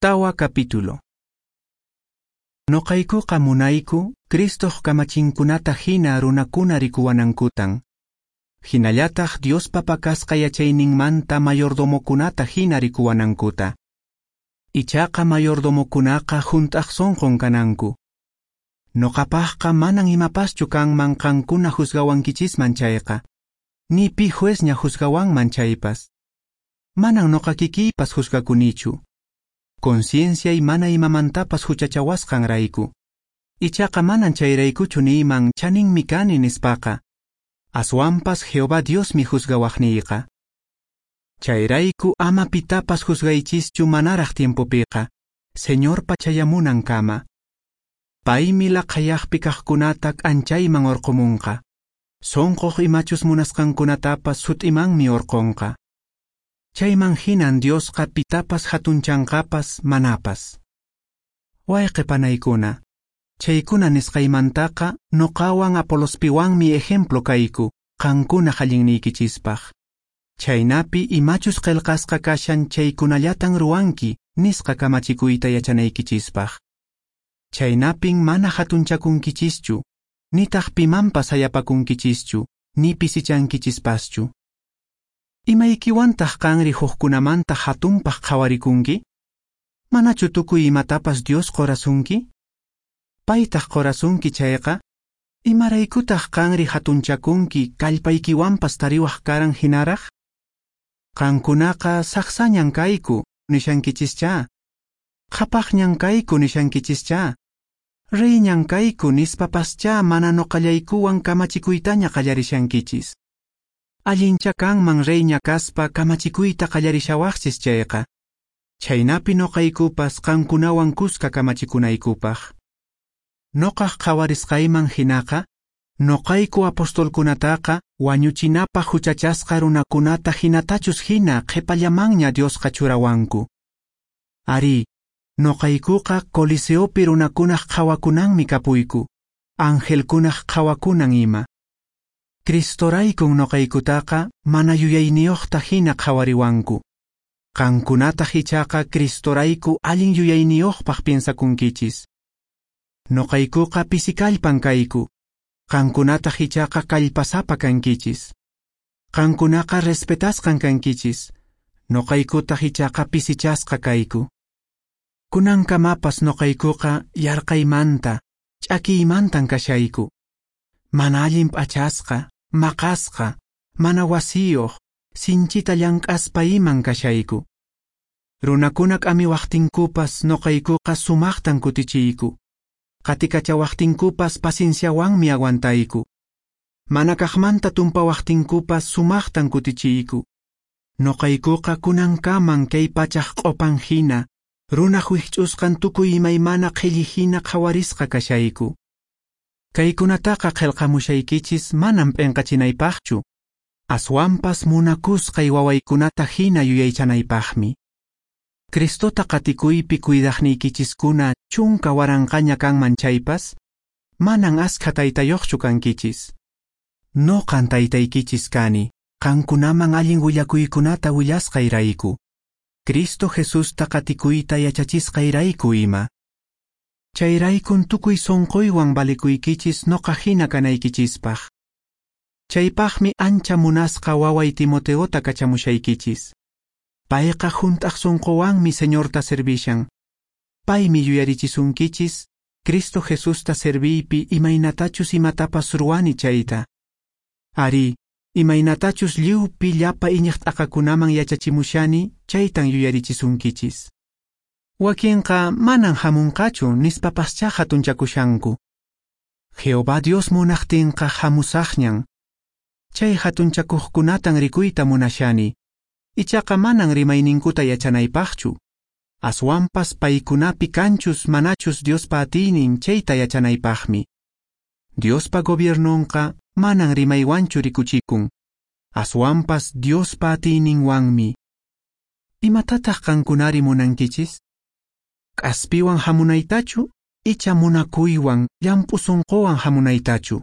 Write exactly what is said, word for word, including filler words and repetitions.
Tawa capítulo. Noqaykuqa munayku Cristoq kamachinkunata hina runakuna rikuwanankutan. Hinallataq Diospa pakasqa yachayninmanta mayordomokunata hina rikuwanankuta. Ichaqa mayordomokunaqa hunt'aq sonqon kananku. Noqapaqqa manan imapaschu kanman qankuna juzgawankichisman chayqa, ni pi juezña juzgawanman chaypas. Manan noqa kikiypas juzgakunichu. Concienciay mana imamantapas huchachawasqanrayku. Ichaqa manan chayraykuchu niyman chaninmi kani nispaqa. Aswanpas Jehová Diosmi juzgawaqniyqa. Chayrayku ama pitapas juzgaychischu manaraq tiempopiqa, Señorpa chayamunankama. Paymi laqhayaqpi kaqkunata k'anchayman orqomunqa. Sonqoq imachus munasqankunatapas sut'imanmi orqonqa. Chayman hinan Diosqa pitapas hatunchanqapas manapas. Wayqe panaykuna, chaykuna nisqaymantaqa noqawan Apolospiwanmi ejemplo kayku, qankuna allinniykichispaq. Chaynapi imachus qillqasqa kashan chaykunallatan ruwanki nisqa kamachikuyta yachanaykichispaq. Chaynapin mana hatunchakunkichischu, nitaq pimanpas hayapakunkichischu, ni pisichankichispaschu. Imaykiwantaq qanri hukkunamanta hatunpaq qhawarikunki? Manachu tukuy imatapas Dios qorasunki? Paytaq qorasunki chayqa, imaraykutaq qanri hatunchakunki kallpaykiwanpas tariwaq karan hinaraq? Qankunaqa saqsañan kayku nishankichischá, qhapaqñan kayku nishankichischá, reyñan kayku nispapaschá mana noqallaykuwan kamachikuytaña qallarishankichis. Allincha kanman reyña kaspa kamachikuyta qallarishawaqchis chayqa, chaynapi noqaykupas qankunawan kuska kamachikunaykupaq. Noqaq qhawarisqayman hinaqa, noqayku apostolkunataqa wañuchinapaq huchachasqa runakunata hinatachus hina qhipallamanña Diosqa churawanku. Ari, noqaykuqa Coliseopi runakunaq qhawakunanmi kapuyku, angelkunaq qhawakunan ima. Cristoraykun noqaykutaqa mana yuyayniyuqta hina qhawariwanku. Qankunataq ichaqa Cristorayku allin yuyayniyuqpaq piensakunkichis. Noqaykuqa pisikallpan kayku, qankunataq ichaqa kallpasapa kankichis. Qankunaqa respetasqan kankichis, noqaykutaq ichaqa pisichasqa kayku. Kunankamapas noqaykuqa yarqaymanta, ch'akiymantan kashayku. Mana allin p'achasqa, maqasqa, mana wasiyuq, sinchita llank'aspa iman kashayku. Runakuna k'amiwaqtinkupas noqaykuqa sumaqtan kutichiyku. Qatikachawaqtinkupas pacienciawanmi aguantayku. Mana kaqmanta tumpawaqtinkupas sumaqtan kutichiyku. Noqaykuqa kunankaman kay pachaq q'opan hina, runaq wikch'usqan tukuy imaymana qhilli hina qhawarisqa kashayku. Kaykunataqa qillqamushaykichis manam p'inqachinaypaqchu, aswanpas munakusqay wawaykunata hina yuyaychanaypaqmi. Cristota qatikuypi cuidaqniykichiskuna chunka waranqaña kanman chaypas, manan askha taytayuqchu kankichis. Noqan taytaykichis kani, qankunaman allin willakuykunata willasqayrayku, Cristo Jesusta qatikuyta yachachisqayrayku ima. Chayraykun tukuy sonqoywan valikuykichis noqa hina kanaykichispaq. Chaypaqmi ancha munasqa waway Timoteota kachamushaykichis. Payqa hunt'aq sonqowanmi Señorta servishan. Paymi yuyarichisunkichis Cristo Jesusta serviypi imaynatachus imatapas ruwani chayta. Ari, imaynatachus lliwpi llapa iñiq t'aqakunaman yachachimushani chaytan yuyarichisunkichis. Wakinqa manan hamunqachu nispapaschá hatunchakushanku. Jehová Dios munaqtinqa hamusaqñan. Chay hatunchakuqkunatan rikuyta munashani. Ichaqa manan rimayninkuta yachanaypaqchu. Aswanpas paykunapi kanchus manachus Diospa atiynin chayta yachanaypaqmi. Diospa gobiernonqa manan rimaywanchu rikuchikun. Aswanpas Diospa atiyninwanmi. Imatataq qankunari munankichis? K'aspiwan hamunaytachu, icha munakuywan, llamp'u sunquwan hamunaytachu.